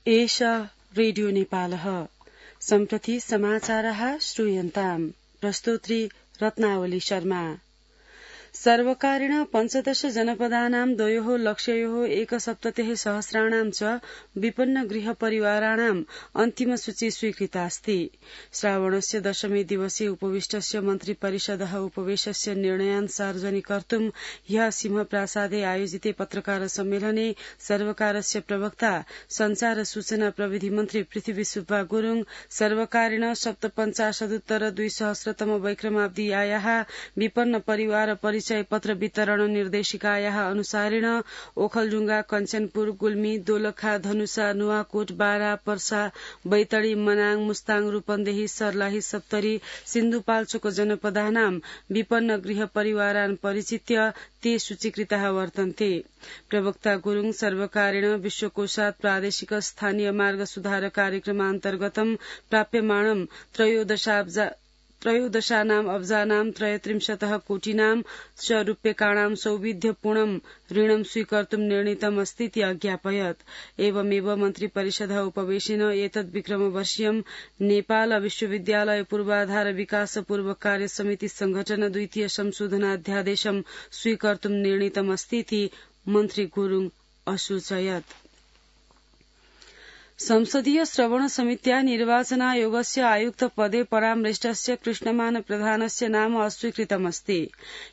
एष रेडियो नेपालः सम्प्रति समाचारः श्रूयन्ताम् प्रस्तोत्री रत्नावली शर्मा। सर्वकारेण 15 जनपदानां 2 लक्षयोः 1सप्ततिः सहस्राणां च विपन्न गृह परिवाराणाम् अन्तिम सूची स्वीकृतास्ति। श्रावणस्य दशमी दिवसे उपविष्टस्य मन्त्रिपरिषदः उपवेशस्य निर्णयान् सार्वजनिकर्तुम् ह्यः सिंहप्रासादे आयोजिते पत्रकार सम्मेलने सर्वकारस्य प्रवक्ता संचार सूचना प्रविधि मन्त्री पृथ्वी सुब्बा गुरूङ सर्वकारेण 57,200 वैक्रमाब्दीयाः विपन्न परिवार परिचय पत्र वितरण निर्देशिकायाः अनुसारेण ओखलढुंगा, कञ्चनपुर, गुल्मी, दोलखा, धनुषा, नुवाकोट, बारा, पर्सा, बैतडी, मनाङ, मुस्ताङ, रूपन्देही, सर्लाही, सप्तरी, सिन्धुपाल्चोक जनपदानां विपन्न गृह परिवारान् परिचित्य ते सूचीकृताः वर्तन्ते। प्रवक्ता गुरूङ सर्वकारेण विश्वकोशात् प्रादेशिक स्थानीय मार्ग सुधार कार्यक्रमान्तर्गतं प्राप्यमाणं त्रयोदशानाम् अब्जानां 33 कोटिनां च रूप्यकाणां सौविध्यपूर्णं ऋणं स्वीकर्तुं निर्णीतम् अस्तीति अज्ञापयत्। एवमेव मन्त्रिपरिषदः उपवेशेन एतद्विक्रमवर्षीयं नेपाल विश्वविद्यालय पूर्वाधार विकास पूर्व कार्य समिति संघटन द्वितीय संशोधनाध्यादेशं स्वीकर्तुं निर्णीतम् अस्तीति मन्त्री गुरूङ असूचयत्। संसदीय श्रवण समित्या निर्वाचनायोगस्य आयुक्त पदे परामृष्टस्य कृष्णमान प्रधानस्य नाम अस्वीकृतमस्ति।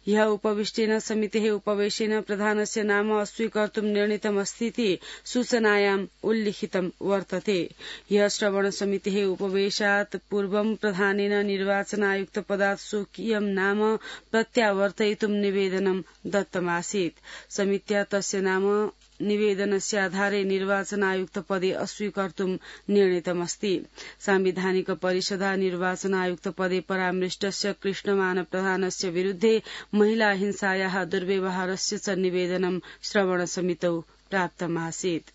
ह्यः उपविष्टेन समितेः उपवेशेन प्रधानस्य नाम अस्वीकर्तुं निर्णीतमस्तीति सूचनायाम् उल्लिखितं वर्तते। ह्यः श्रवण समितेः उपवेशात् पूर्वं प्रधानेन निर्वाचनायुक्त पदात् स्वकीयं नाम प्रत्यावर्तयितुं निवेदनं दत्तमासीत्। समित्या तस्य नाम निवेदनस्य आधारे निर्वाचन आयुक्त पदे अस्वीकर्तुं निर्णीतमस्ति। सांविधानिक परिषदा निर्वाचन आयुक्त पदे परामृष्टस्य कृष्णमान प्रधानस्य विरुद्धे महिला हिंसायाः दुर्व्यवहारस्य च निवेदनं श्रवण समितौ प्राप्तमासीत्।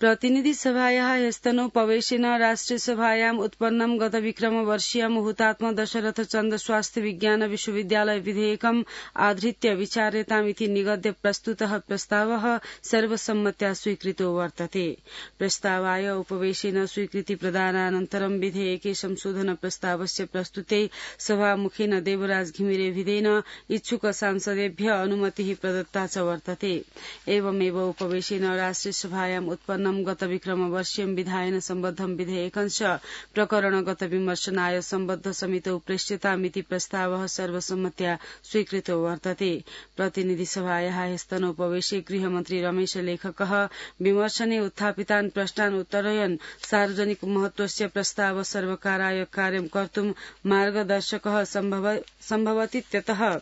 प्रतिनिधि सभायाः ह्यस्तनोपवेशेन राष्ट्रिय सभायाम् उत्पन्नं गत विक्रमवर्षीयं हुतात्मा दशरथ चन्द्र स्वास्थ्य विज्ञान विश्वविद्यालय विधेयकम् आधृत्य विचार्यतामिति निगद्य प्रस्तुतः प्रस्तावः सर्वसम्मत्या स्वीकृतो वर्तते। प्रस्तावाय उपवेशेन स्वीकृति प्रदानानन्तरं विधेयके संशोधन प्रस्तावस्य प्रस्तुते सभामुखेन देवराज घिमिरेभिदेन इच्छुक सांसदेभ्य अनुमतिः प्रदत्ता च वर्तते। एवमेव उपवेशेन राष्ट्रिय सभायाम् उत्पन्न गत विक्रमवर्षीयं विधायन सम्बद्धं विधेयकञ्च प्रकरणगत विमर्शनाय सम्बद्ध समितौ प्रेष्यतामिति प्रस्तावः सर्वसम्मत्या स्वीकृतो वर्तते। प्रतिनिधि सभायाः ह्यस्तनोपवेशे गृहमन्त्री रमेश लेखकः विमर्शने उत्थापितान् प्रश्नान् उत्तरयन् सार्वजनिक महत्वस्य प्रस्ताव सर्वकाराय कार्यं कर्तुं मार्गदर्शकः सम्भवतीत्यतः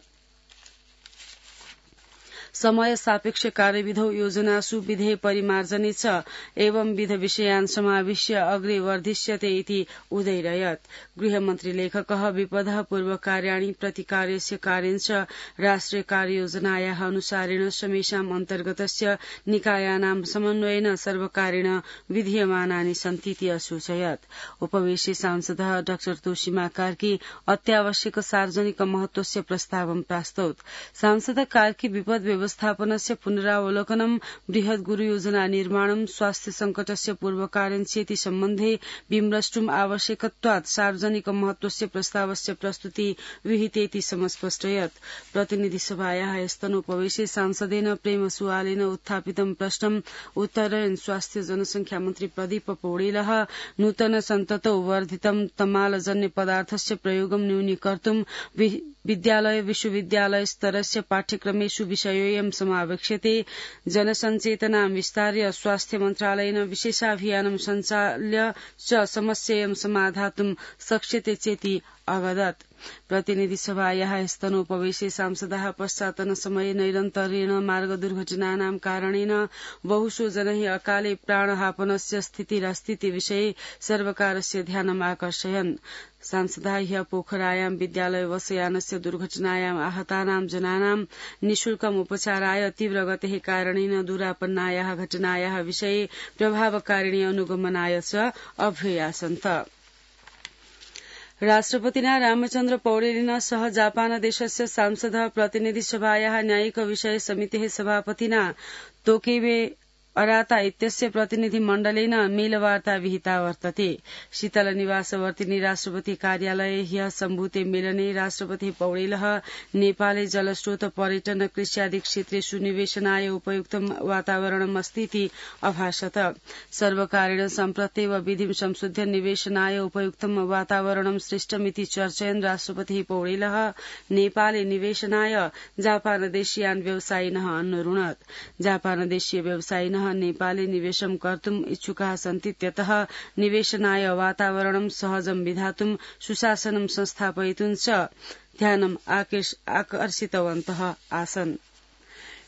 समय सापेक्ष कार्यविधौ योजनासु विधेय परिमार्जने च एवं विध विषयान् समाविश्य अग्रे वर्धिष्यते इति उदैरयत्। गृहमन्त्री लेखकः विपदः पूर्वकार्याणि प्रतिकार्यस्य कार्यञ्च राष्ट्रिय कार्ययोजनायाः अनुसारेण समेषाम् अन्तर्गतस्य निकायानां समन्वयेन सर्वकारेण विधीयमानानि सन्तीति असूचयत्। उपवेशे सांसदः डॉ तोषिमा कार्की अत्यावश्यक सार्वजनिक महत्वस्य प्रस्तावं प्रास्तौत्। सांसद कार्की विपद व्यवस्थापनस्य पुनरावलोकनं बृहत् गुरु योजना निर्माणं स्वास्थ्य संकटस्य पूर्वकार्यञ्चेति सम्बन्धे विमृष्टुम् आवश्यकत्वात् सार्वजनिक महत्वस्य प्रस्तावस्य प्रस्तुति विहितेति समस्पष्टयत्। प्रतिनिधि सभायाः ह्यस्तनोपवेशे सांसदेन प्रेम सुवालेन उत्थापितं प्रश्नम् उत्तरयन् स्वास्थ्य जनसंख्या मन्त्री प्रदीप पौडेलः नूतन सन्ततौ वर्धितं तमालजन्य पदार्थस्य प्रयोगं न्यूनीकर्तुं विद्यालय विश्वविद्यालय स्तरस्य पाठ्यक्रमेषु विषयोऽयं समावेक्ष्यते। जनसञ्चेतनां विस्तार्य स्वास्थ्य मन्त्रालयेन विशेषाभियानं सञ्चाल्य च समस्यां समाधातुं शक्यते चेति अवदत्। प्रतिनिधि सभायाः ह्यस्तनोपवेशे सांसदाः पश्चातन समये नैरन्तर्येण मार्ग दुर्घटनानां कारणेन बहुषु जनैः अकाले प्राणहापनस्य स्थितिरस्तीति विषये सर्वकारस्य ध्यानम् आकर्षयन्। सांसदाः ह्यः पोखरायां विद्यालय बसयानस्य दुर्घटनायाम् आहतानां जनानां निःशुल्कम् उपचाराय तीव्रगतेः कारणेन दुरापन्नायाः घटनायाः विषये प्रभावकारिणी अनुगमनाय च अभ्ययासन्त। राष्ट्रपतिना रामचन्द्र पौडेलेन सह जापान देशस्य सांसदः प्रतिनिधि सभायाः न्यायिक विषय समितेः सभापतिना तोकेबे अराता इत्यस्य प्रतिनिधिमण्डलेन मेलवार्ता विहिता वर्तते। शीतलनिवासवर्तिनी राष्ट्रपति कार्यालये ह्यः सम्भूते मेलने राष्ट्रपति पौडेलः नेपाले जलस्रोत पर्यटन कृष्यादि क्षेत्रेषु निवेशनाय उपयुक्तं वातावरणमस्तीति अभाषत। सर्वकारेण सम्प्रत्येव विधिं संशोध्य निवेशनाय उपयुक्तं वातावरणं सृष्टमिति चर्चयन् राष्ट्रपति पौडेलः नेपाले निवेशनाय जापानदेशीयान् व्यवसायिनः अनुरुणत्। जापानदेशीय व्यवसायिनः नेपाले निवेशं कर्तुम् इच्छुकाः सन्ति, त्यतः निवेशनाय वातावरणं सहजं विधातुं सुशासनं संस्थापयितुं च ध्यानम् आकर्षितवन्तः आसन्।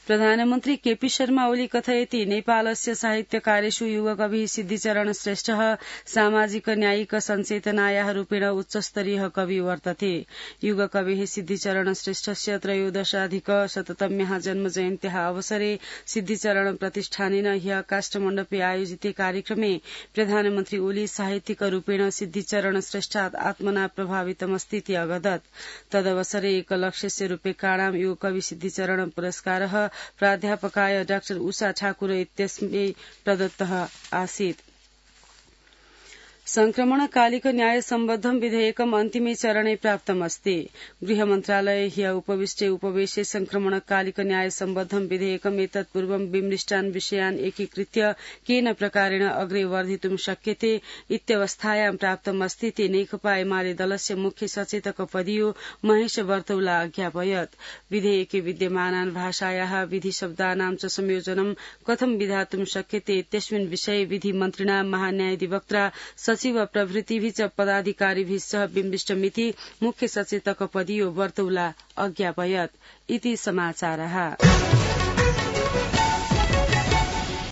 प्रधानमन्त्री केपी शर्मा ओली कथयति नेपालस्य साहित्यकारेषु युगकविः सिद्धिचरण श्रेष्ठः सामाजिक न्यायिक सञ्चेतनायाः रूपेण उच्चस्तरीयः कवि वर्तते। युगकविः सिद्धिचरण श्रेष्ठस्य 13अधिक-शततम्याः जन्मजयन्त्याः अवसरे सिद्धिचरण प्रतिष्ठानेन ह्यः काष्ठमण्डपे आयोजिते कार्यक्रमे प्रधानमन्त्री ओली साहित्यिक रूपेण सिद्धिचरण श्रेष्ठात् आत्मना प्रभावितमस्तीति अवदत्। तदवसरे एकलक्षस्य रूप्यकाणां युगकवि सिद्धिचरण पुरस्कारः प्राध्यापकाय डाक्टर उषा ठाकुर इत्यस्मै प्रदत्तः आसीत्। संक्रमणकालिक न्याय सम्बद्धं विधेयकम् अन्तिमे चरणे प्राप्तमस्ति। गृह मन्त्रालये ह्यः उपविष्टे उपवेशे संक्रमणकालिक न्याय सम्बद्धं विधेयकम् एतत्पूर्वं विमृष्टान् विषयान् एकीकृत्य केन प्रकारेण अग्रे वर्धितुं शक्यते इत्यवस्थायां प्राप्तमस्तीति नेकपा एमाले दलस्य मुख्य सचेतक पदीयो महेश बर्तौला अज्ञापयत्। विधेयके विद्यमानान् भाषायाः विधिशब्दानां च संयोजनं कथं विधातुं शक्यते इत्यस्मिन् विषये विधिमन्त्रिणा महान्यायाधिवक्त्रा सचिव प्रभृतिभिः च पदाधिकारिभिः सह विमृष्टमिति मुख्य सचेतक पदीयो बर्तौला अज्ञापयत्। इति समाचारः।